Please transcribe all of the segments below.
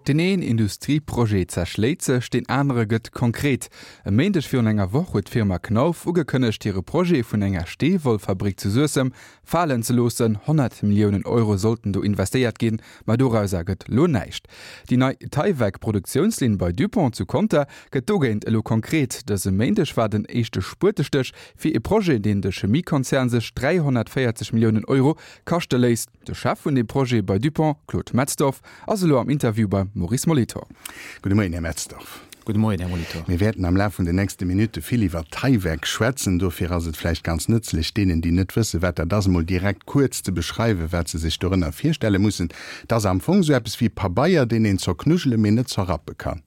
Deen een Industrieprojet zerschléit sech, deen anere gëtt konkret. E Méindeg virun enger Woch huet d'Firma Knauf ugekënnegt, hire Projet vun enger Steewollfabrik zu Suessem falen ze loossen. 100 Milliounen Euro sollten do investéiert ginn, ma dorauser gëtt lo näischt. Déi nei Tyvek-Produktiounslinn bei Dupont zu Conter gëtt dogéint elo konkret. Dëse Méindeg war den éischte Spuetestéch fir e Projet, deen de Chemiekonzern sech 340 Milliounen Euro kaschte léisst. De Chef vun deem Projet bei Dupont, Claude Metzdorf, ass elo am Interview beim Maurice Molitor. Gudde Moien, Här Metzdorf. Gudde Moien, Här Molitor. Mir wäerten am Laf vun den nächste Minutte vill iwwer Tyvek schwätzen. Dofir ass et vläicht ganz nëtzlech, deenen, déi net wëssen, wat dat ass, emol direkt kuerz ze beschreiwen, wat se sech dorënner virstelle mussen. Et ass am Fong esou eppes wéi Pabeier, deen een zerknujele mee net zerrappe kann.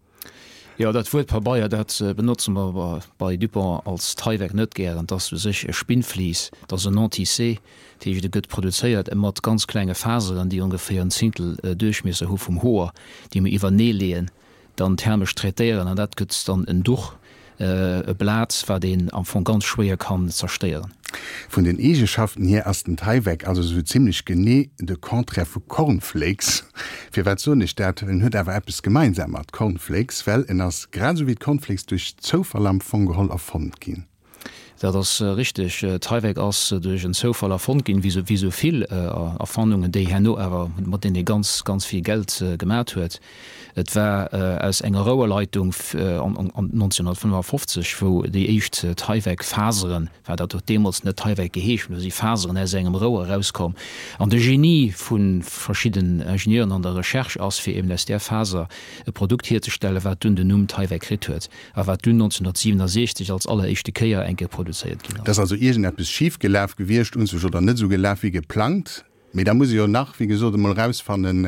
Jo, dat Wuert Pabeier, dat benotze mer bei Dupont als Tyvek net gären. Et ass u sech e Spinnvlies, et ass en Non-tissé, dat heescht e gëtt produzéiert mat ganz klenge Faseren, déi ongeféier en Zéngtel Duerchmiesser hu vum Hoer, déi mer iwwernee leeën, dann thermesch traitéieren an dat gëtt dann en Duch. E Blat, wat een am Fong ganz schwéier kann zerstéieren. Vun den Eegeschaften hier ass den Tyvek also sou zimlech genee de Contraire vu Cornflakes. Firwat soen ech dat? En huet awer eppes gemeinsam mat Cornflakes, well en ass grad esou wéi d'Cornflakes duerch Zoufall am Fong geholl erfonnt ginn. Dat ass richteg. Tyvek ass duerch en Zoufall erfonnt ginn, wéi esou vill Erfannungen, déi herno awer, mat deenen ee ganz, ganz vill Geld gemat huet. Et war aus enger Rouerleitung 1955, wou déi éischt Tyvek-Faseren, war dat huet deemools net Tyvek geheescht, mee do si Faseren aus engem Rouer erauskomm. An de Genie vu verschidden Ingenieuren an der Recherche ass, fir eben aus där Faser e Produkt hierzestellen, wat dunn den Numm Tyvek kritt huet. A wat dunn 1967 als alleréischte Kéier eng Kéier produzéiert ginn ass. Et ass also iergendeppes schif gelaf gewiescht, un sech, oder net esou gelaf wéi geplangt. Mee da muss ee jo nach, wéi gesot, emol erausfannen,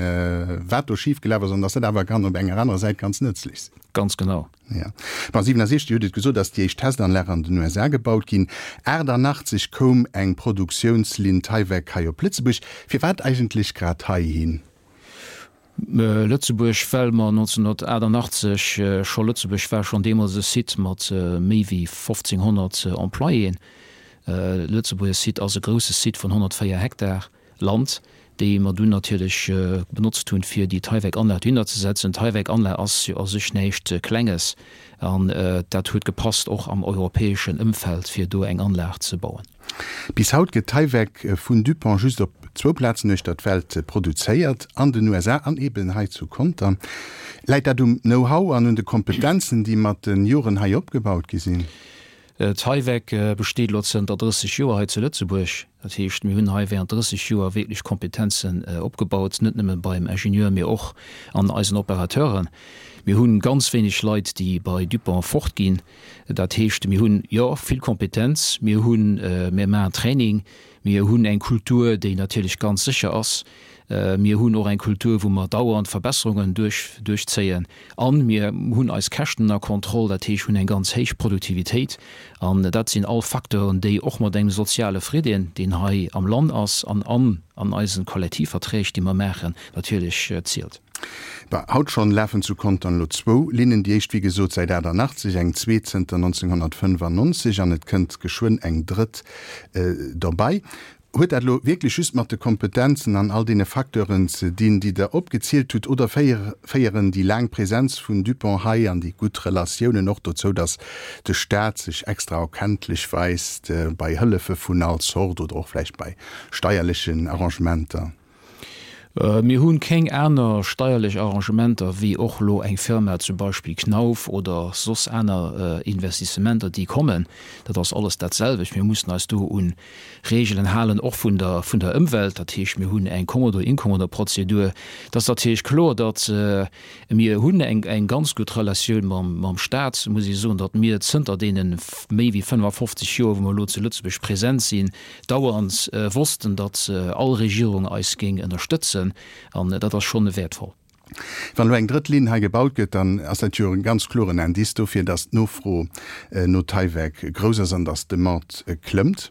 wat do schif gelaf ass an dass dat awer kann op enger anerer Säit ganz nëtzlech sinn. Ganz genau. Jo. Bon, 67, Dir hutt et gesot, ass déi éischt Testanlag an den USA gebaut ginn. 88 koum eng Produktiounslinn Tyvek hei op Lëtzebuerg. Firwat eigentlech grad heihin? Lëtzebuerg, well mer 1988 scho, Lëtzebuerg war schonn deemools e Site mat méi wéi 1.500 Employéen. Lëtzebuerger Site ass e grousse Site vun 104 Hektar Land, déi mer dunn natierlech benotzt hunn, fir déi Tyvek-Anlag dohinner ze setzen. D'Tyvek-Anlag ass jo a sech näischt Klenges an dat huet gepasst och am europäeschen Ëmfeld, fir do eng Anlag ze bauen. Bis haut gëtt Tyvek vun DuPont just op zwou Plazen uechter d'Welt produzéiert, an den USA an eben hei zu Conter. Läit dat um Know-how an un de Kompetenzen, déi mat de Joren hei opgebaut gi sinn? Tyvek besteet elo zënter 30 Joer hei zu Lëtzebuerg. Dat heescht, mir hunn hei während 30 Joer wierklech Kompetenzen opgebaut, net nëmme beim Ingenieur, mee och an eisen Operateuren. Mir hu ganz wéineg Leit, déi bei Dupont fortginn. Dat heescht, mir hunn, jo, vill Kompetenz, mir hunn, mir maachen Training, mir hunn eng Kultur, déi natierlech ganz sécher ass. Mir hunn och eng Kultur, wou mer dauernd Verbesserungen duerch, duerchzéien. A mir hunn eis Käschten ënner Kontroll, dat heescht, hunn eng ganz héich Produktivitéit. An dat sinn all Facteuren, déi och mat engem soziale Fridden, deen hei am Land ass an an an eise Kollektivverträg, déi mer maachen, natierlech zielt. Bah, haut schonn lafen zu Contern elo zwou Linnen, déi éischt wéi gesot säit 88, eng zweet zënter 1995 an et kënnt geschwënn eng drëtt derbei. Huet dat elo wierklech just mat de Kompetenzen an all deene Facteuren ze dinn, déi Der opgezielt hutt, oder féieren déi laang Präsenz vun Dupont hei an déi gutt Relatiounen och dozou, datt de Staat sech extra erkenntlech weist bei Hëllefe vun all Zort oder och vläicht bei steierlechen Arrangementer? Mir hu keng aner steierlech Arrangementer wéi och elo eng Firma, zum Beispill Knauf oder soss aner Investissementer, déi kommen. Dat ass alles dat selwecht. Mir mussen eis do un Regeln halen, och vun der vun der Ëmwelt. Dat heescht, mir hunn eng Kommodo-Inkommodo-Prozedur. Et ass natierlech kloer, datt mir hunn eng eng ganz gutt Relatioun mam mam Stat, muss ech soen, datt mir zënter deene méi wéi 55 Joer, wou mer elo zu Lëtzebuerg present sinn, dauernd wossten, datt all Regierung eis géing ënnerstëtzen, an dat ass schonn wäertvoll. Wann elo eng drëtt Linn hei gebaut gëtt, dann ass dat jo e ganz kloren Indice dofir, datt d'Nofro no Tyvek grouss ass an datt d'Demande klëmmt.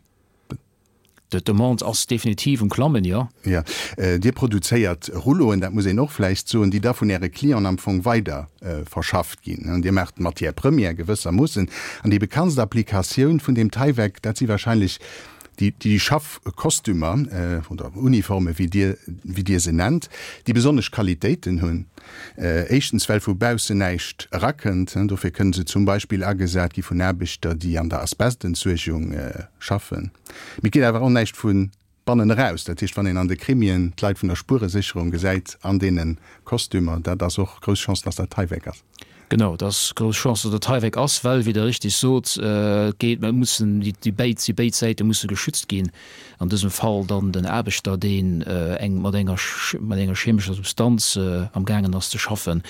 D'Demande ass definitiv um Klammen, jo. Jo. Dir produzéiert Rulloen, dat muss een och vläicht soen, déi da vun Äre Clienten am Fong weider verschafft ginn. Dir maacht d'Matière première gewëssermoossen. An déi bekanntst Applikatioun vun deem Tyvek, dat si wahrscheinlech. Déi, déi Schaffkostümer oder Uniforme wéi Dir, wéi Dir se nennt, déi besonnesch Qualitéiten hunn. Éischtens well vu baussen näischt erakënnt. Dofir kënne se zum Beispill agesat gi vun Aarbechter, déi an der Asbestentsuergung schaffen. Mee et geet awer och näischt vu bannen eraus. Dat heescht, wann een an de Krimien d'Leit vun der Spueresécherung gesäit an deene Kostümer, dat ass och grouss Chance, dass dat Tyvek ass. Genau, et ass grouss Chance, datt et Tyvek ass, well, wéi Der richtig sot, et geet, et mussen déi béid, déi béid Säite musse geschützt ginn. An dësem Fall dann den Aarbechter, deen eng mat enger mat enger chemescher Substanz amgaangen ass ze schaffen.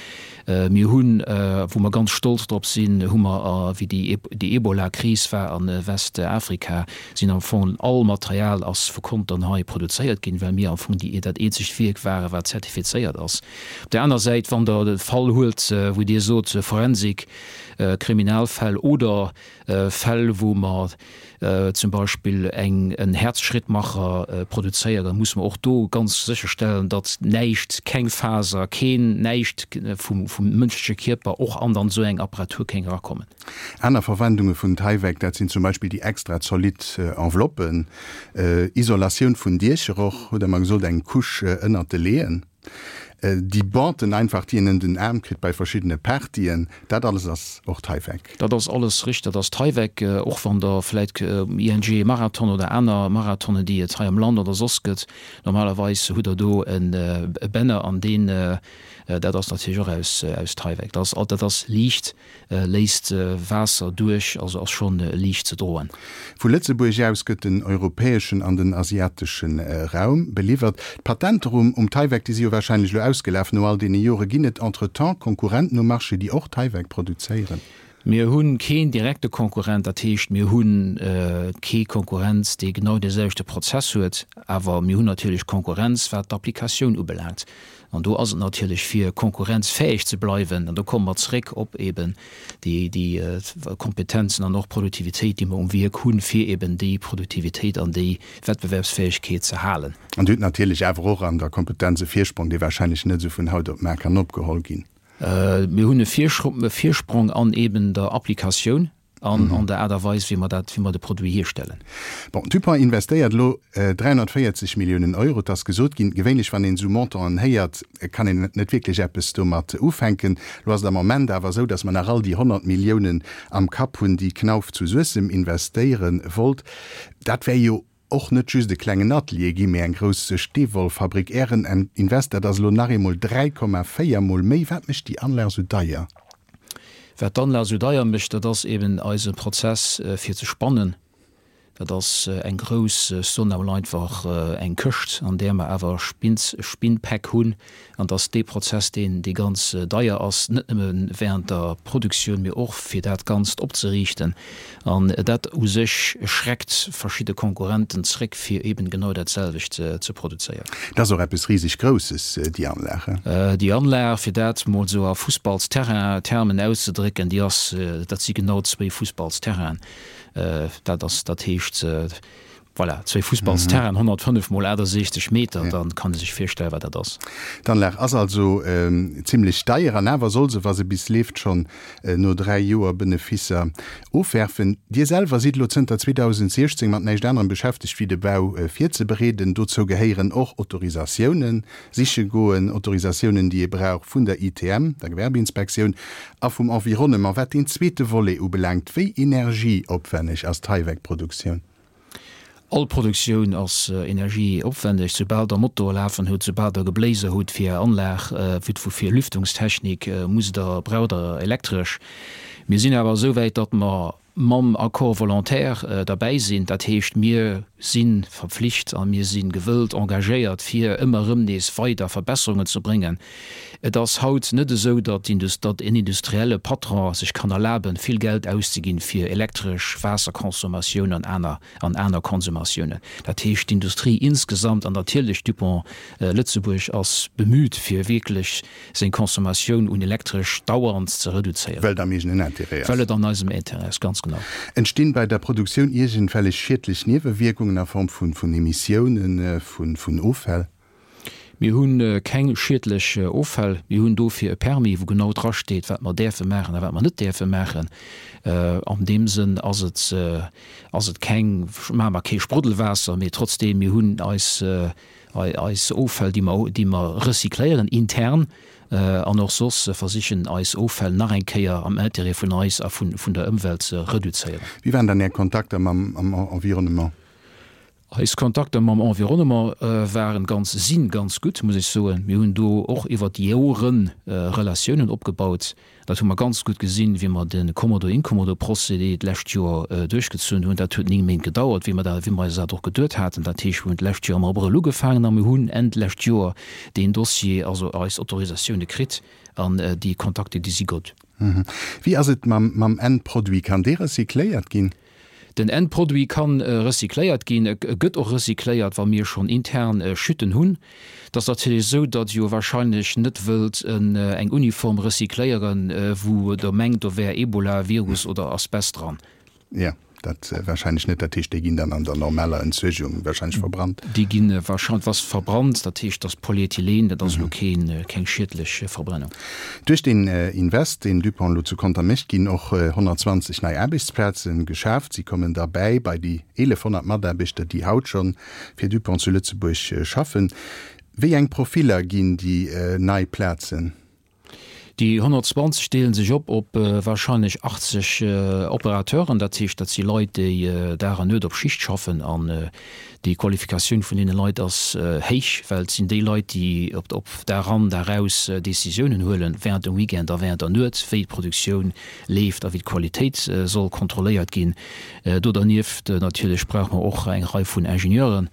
Mir hunn, wou mer ganz stolz drop sinn, hu mer, wéi déi déi Ebola-Kris war a Westafrika, sinn am Fong all Material ass vu Contern hei produzéiert ginn, well mir am Fong déi dat eenzegt Wierk waren, wat zertifizéiert ass. Op där aner Säit, wann Der de Fall huelt, wou Dir sot, Forensik, Kriminalfäll oder Fäll, wou mer zum Beispill eng en Herzschrittmacher produzéieren, da musse mer och do ganz sécherstellen, datt näischt, keng Faser, keen näischt vum mënschleche Kierper och an dann esou eng Apparatur kéng erakommen. Aner Verwendunge vun Tyvek, dat sinn zum Beispill déi extra zolidd Enveloppen, Isolatioun vun Diecher och, hutt Der mer gesot, eng Couche ënnert de Leeën. Déi Banten einfach, déi een ëm den Aarm kritt bei verschiddene Partyen, dat alles ass och Tyvek. Dat ass alles richteg, dat ass Tyvek. Och wann Der vläit um ING Marathon oder aner Marathonen, déi et hei am Land oder soss gëtt, normalerweis hutt Der do e Banner an deen, dat ass natierlech och aus Tyvek. Dat ass liicht. Léisst Waasser duerch, also ass schonn liicht ze droen. Vu Lëtzebuerg aus gëtt den europäeschen an den asiatesche Raum beliwwert. D'Patenter um um Tyvek, déi si jo warscheinlech elo ausgelaf no all deene Jore. Ginn et entretemps Konkurrenten um Marché, déi och Tyvek produzéieren? Mir hu keen direkte Konkurrent, dat heescht mir hu kee Konkurrent, dee genau dee selwechte Prozess huet. Awer mir hunn natierlech Konkurrenz wat d'Applikatioun ubelaangt. An do ass et natierlech, fir konkurrenzfäeg ze bleiwen, an do komme mer zréck op eben déi, déi Kompetenzen an och Produktivitéit, déi mer um Wierk hunn, fir eben déi Produktivitéit an déi Wettbewerbsfäegkeet ze halen. An Dir hutt natierlech awer och an der Kompetenz e Virsprong, dee wahrscheinlech net esou vun haut op mar kann opgeholl ginn. Mir hunn e Virsprong an eben der Applikatioun. An an der Aart a Weis, wéi mer dat, wéi mer de Produit hierstellen. Bon, Dupont investéiert elo 340 Milliounen Euro. Et ass gesot ginn, gewéinlech wann een esou Montanten héiert, kann een net wierklech eppes domat ufänken. Elo ass et am Moment awer esou, datt mer nach all déi 100 Milliounen am Kapp hunn, déi Knauf zu Suessem investéiere wollt. Dat wär jo och net just e klengen Atelier ginn, mee eng grouss Steewollfabrik. Ären Invest, dat ass elo nach eemol 3,4 mol méi. Wat mécht déi Anlag esou deier? Wat d'Anlag esou deier mécht, dat ass eben eise Prozess fir ze spannen. Dat ass eng grouss, ech soen emol einfach eng Këscht, an där mer awer Spinnpäck hunn. An et ass dee Prozess, deen, dee ganz deier ass, net nëmme während der Produktioun, mee och fir dat Ganzt opzeriichten. An dat u sech schreckt verschidde Konkurrenten zréck, fir eben genau dat selwecht ze produzéieren. Dat ass och eppes riseg Grousses, déi Anlag, he? Déi Anlag, fir dat mol esou a Fussballsterrain-Termen auszedrécken, déi ass, dat si genau zwéi Fussballsterrainen. Dat ass, dat heescht, Voilà, zwéi Fussballsterrainen, 105 mol 68 Meter, da kann ee sech virstellen, wat dat ass. D'Anlag ass also zimlech deier an awer soll se, wa se bis leeft, schonn no 3 Joer Benefisser ofwerfen. Dir selwer sidd elo zënter 2016 mat näischt anerem beschäftegt, wéi de Bau virzebereeden. Dozou gehéieren och Autorisatiounen siche goen, Autorisatiounen, déi ee brauch vun der ITM, der Gewerbeinspektioun, a vum Environnement. Wat deen zweete Volet ubelaangt, wéi energieopwänneg ass d'Tyvek-Produktioun? All Produktioun ass energieopwändeg. Soubal der Motor lafen hutt, soubal der Gebléiser hutt fir är Anlag, fir Lüftungstechnik, musst der, braucht der Elektresch. Mir sinn awer esou wäit, datt mer mam Accord volontaire derbäi sinn. Dat heescht, mir si verpflicht a mir si gewëllt, engagéiert, fir ëmmer erëm nees weider Verbesserungen ze bréngen. Et ass haut net esou, datt en industrielle Patron sech kann erlaben, vill Geld auszeginn fir elektresch Waasserconsommatioun an aner an aner Konsummatiounen. Dat heescht, d'Industrie insgesamt an natierlech Dupont Lëtzebuerg ass bemüht, fir wierklech seng Consommatioun un Elektresch dauernd ze reduzéieren. Well et am eegenen Intérêt ass. Well et an eisem Intérêt ass, ganz genau. Entstinn bei der Produktioun iergendwellech schiedlech Niewewierkungen a Form vun Emissiounen, vun Offäll? Mir hu keng schiedlech Offäll. Mir hunn dofir e Permis, wou genau drasteet, wat mer däerfe maachen a wat mer net däerfe maachen. An deem Sënn ass et, ass et keng, maache mer kee Spruddelwaasser, mee trotzdeem, mir hunn eis, eis Offäll, déi mer, déi mer recycléieren intern an och soss versichen, eis Offäll nach eng Kéier am Intérêt vun eis a vun, vun der Ëmwelt ze reduzéieren. Wéi waren dann Är Kontakter mam Environnement? Eis Kontakter mam Environnement waren ganz, sinn ganz gutt, muss ech soen. Mir hunn do och iwwert déi Joren Relatiounen opgebaut. Dat hu mer ganz gutt gesinn, wéi mer de Kommodo-Inkommodo-Procédé d'lescht Joer duerchgezunn hunn. Dat huet 9 Méint gedauert, wéi mer dat, wéi mer eis dat och geduet haten. Dat heescht, mir hunn d'lescht Joer am Abrëll ugefaangen a mir hunn Enn d'lescht Joer deen Dossier, also eis Autorisatioune kritt an déi Kontakte, déi si gutt. Wéi ass et mam Endproduit? Kann dee recycléiert ginn? Den Endproduit kann recycléiert ginn, e gëtt och recycléiert, wa mir schonn intern Chuten hunn. Et ass natierlech esou, datt jo wahrscheinlech net wëllt eng Uniform recycléieren, wou Der mengt, do wär Ebola-Virus oder Asbest dran. Jo, dat wahrscheinlech net. Dat heescht, déi ginn dann an der normaler Entsuergung wahrscheinlech verbrannt? Déi gi wahrscheinlech was verbrannt. Dat heescht, dass Polyethylen, dat ass elo keen, keng schiedlech Verbrennung. Duerch deen Invest, deen Dupont elo zu Conter mécht, ginn och 120 nei Aarbechtsplaze geschaaft. Si kommen derbäi bei déi 1.100 Mataarbechter, déi haut scho fir Dupont zu Lëtzebuerg schaffen. Wéi eng Profiller ginn déi nei Plazen? Déi 120 deele sech op op warscheinlech 80 Operateuren. Dat heescht, dat si Leit, déi Dag an Nuet op Schicht schaffen an Déi Qualifikatioun vun deene Leit ass héich, well et sinn déi Leit, déi op Dag an Dag aus Décisiounen huelen, während dem Weekend a während der Nuet, wéi d'Produktioun leeft a wéi d'Qualitéit soll kontrolléiert ginn. Do dernieft natierlech brauche mer och eng Rei vun Ingenieuren.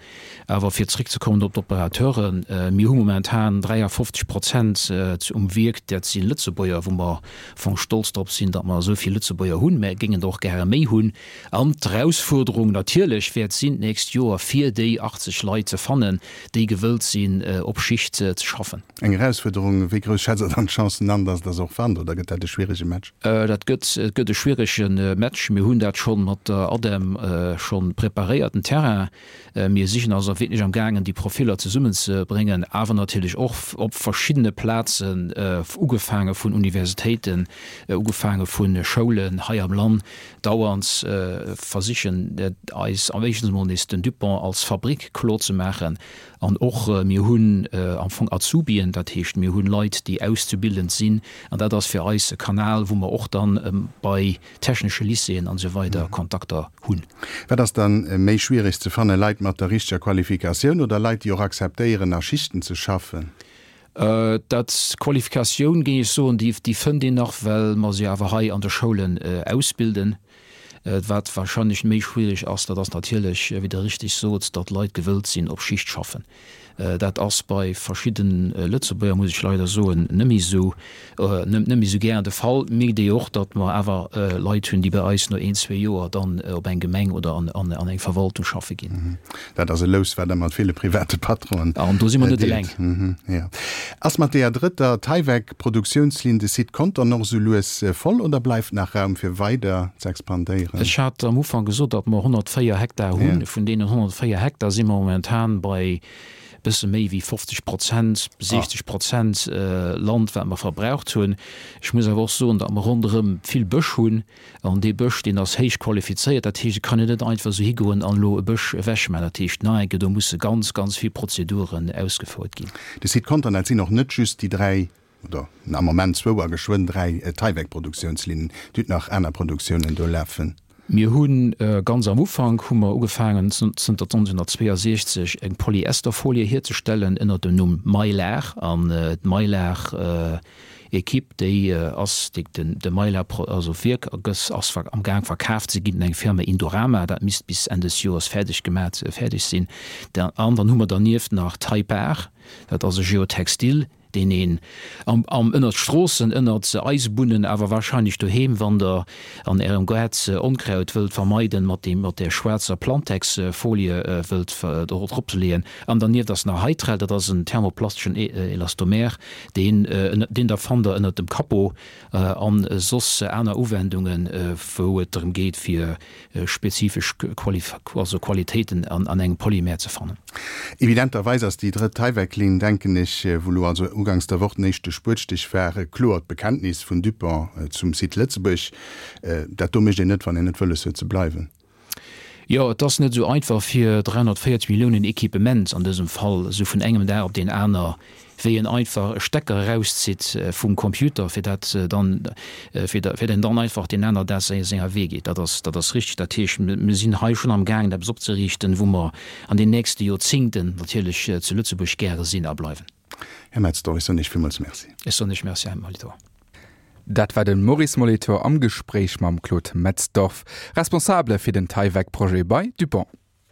Awer fir zréckzekommen op d'Operateuren, Mir hu momentan 53 Prozent um Wierk, dat si Lëtzebuerger, wou mer am Fong stolz drop sinn, datt mer esou vill Lëtzebuerger hunn. Mä géingen der och gäre méi hunn. An d'Erausfuerderung natierlech wäert sinn d'nächst Joer, fir déi 80 Leit ze fannen, déi gewëllt sinn, op Schicht ze schaffen. Eng Erausfuerderung. Wéi grouss schätzt Der dann d'Chancen an, datt Der se och fannt, oder gëtt dat e schwierege Match? Dat gëtt, et gëtt e schwierege Match. Mir hunn dat scho mat der ADEM scho preparéiert, den Terrain. Mir sichen also wierklech am gaangen, déi Profiller zesummenzebréngen, awer natierlech och op verschiddene Plazen, ugefaange vun Universitéiten, ugefaange vu Schoulen hei am Land, dauernd versichen eis am éischten emol nees den Dupont als Fabrick kloer ze maachen an och mir hunn am Fong Azubien, dat heescht mir hunn Leit déi auszubildend sinn an dat ass fir eis e Kanal wou mer och dann bei technesche Lycéeën an esou weider Kontakter hunn. Wat ass dann méi schwiereg ze fannen, Leit mat der richteger Qualifikatioun oder Leit déi och akzeptéieren a Schichten ze schaffen? Dat Qualifikatioun, géing ech soen, déi fënnt een nach, well mer se awer hei an de Schoulen ausbilden. Wat wahrscheinlech méi schwierig ass, dat ass natierlech, wéi Der richtig sot, datt Leit gewëllt sinn, op Schicht schaffen. Dat ass bei verschidde Lëtzebuerger, muss ech leider soen, net méi esou, net méi esou gären de Fall. Mierkt ee jo och, datt mer awer Leit hunn, déi bei eis no een, zwee Joer dann op eng Gemeng oder an eng Verwaltung schaffe ginn. Dat ass e Lous, wat Der mat ville private Patronen An do si mer net eleng. Jo. Ass mat deeër drëtter Tyvek-Produktiounslinn de Site Contern och esou lues voll oder bleift nach Raum fir weider z'expandéieren? Ech hat am Ufank gesot, datt mer 104 Hektar hunn. Vun deenen 104 Hektar si mer momentan bei bësse méi wéi 50 Prozent, 60 Prozent Land, wat mer verbraucht hunn. Ech muss awer och soen, datt mer ronderëm vill Bësch hunn. An dee Bësch, deen ass héich qualifizéiert. Dat heescht, et kann een net einfach esou higoen an elo e Bësch ewechmaachen. Dat heescht, nach eng Kéier, do musse ganz, ganz vill Prozeduren ausgefouert ginn. De Site Contern, dat sinn och net just déi 3, oder am Moment zwou a geschwënn 3 Tyvek-Produktiounslinnen. Dir hutt nach aner Produktiounen do lafen. Mir hu ganz am Ufank hu mer ugefaangen, zënter 1962 eng Polyesterfolie hierzestellen ënner dem Numm Mylar. An d'Mylar Equipe, déi ass, déi den de Mylar also Wierk ass ass am Gaang verkaf ze ginn un eng Firma Indorama. Dat misst bis Enn des Joers fäerdeg gemat fäerdeg sinn. An dann hu mer dernieft nach Typar, dat ass e Geotextil. deen een am, am, ënnert Stroossen, ënnert Eisebunnen, awer wahrscheinlech doheem, wann Der an Ärem Gaart Onkraut wëllt vermeiden, mat deem, mat där schwaarzer Plantex-Folie wëllt drop leeën. An dernieft ass nach Hytrel, dat ass en thermoplasteschen Elastomer, deen, deen Der fannt Der ënnert dem Capot an soss aner Uwendungen, wou et drëm geet, fir spezifesch also Qualitéiten an engem Polymer ze fannen. Evidenterweis ass déi drëtt Tyvek-Linn, denken ech, wou elo also uganks der Woch den éischte Spuetstich war, e kloert Bekenntnis vun Dupont zum Site Lëtzebuerg. Dat do mécht een net, wann een net wëlles huet ze bleiwen. Jo, et ass net esou einfach fir 340 Milliounen Equipement an dësem Fall esou vun engem Dag op deen aner, wéi een einfach e Stecker erauszitt vum Computer, fir dat dann, fir fir den dann einfach deen aner Dag senger Wee geet. Dat ass, dat ass richtig. Dat heescht, mir sinn hei schonn am gaangen eppes opzeriichten, wou mer an den nächste Joerzingten natierlech zu Lëtzebuerg gäre sinn a bleiwen. Här Metzdorf, ech soen Iech villmools Merci. Ech soen Iech Merci, Här Molitor. Dat war de Maurice Molitor am Gespréich mam Claude Metzdorf, Responsabele fir den Tyvek-Projet bei Dupont.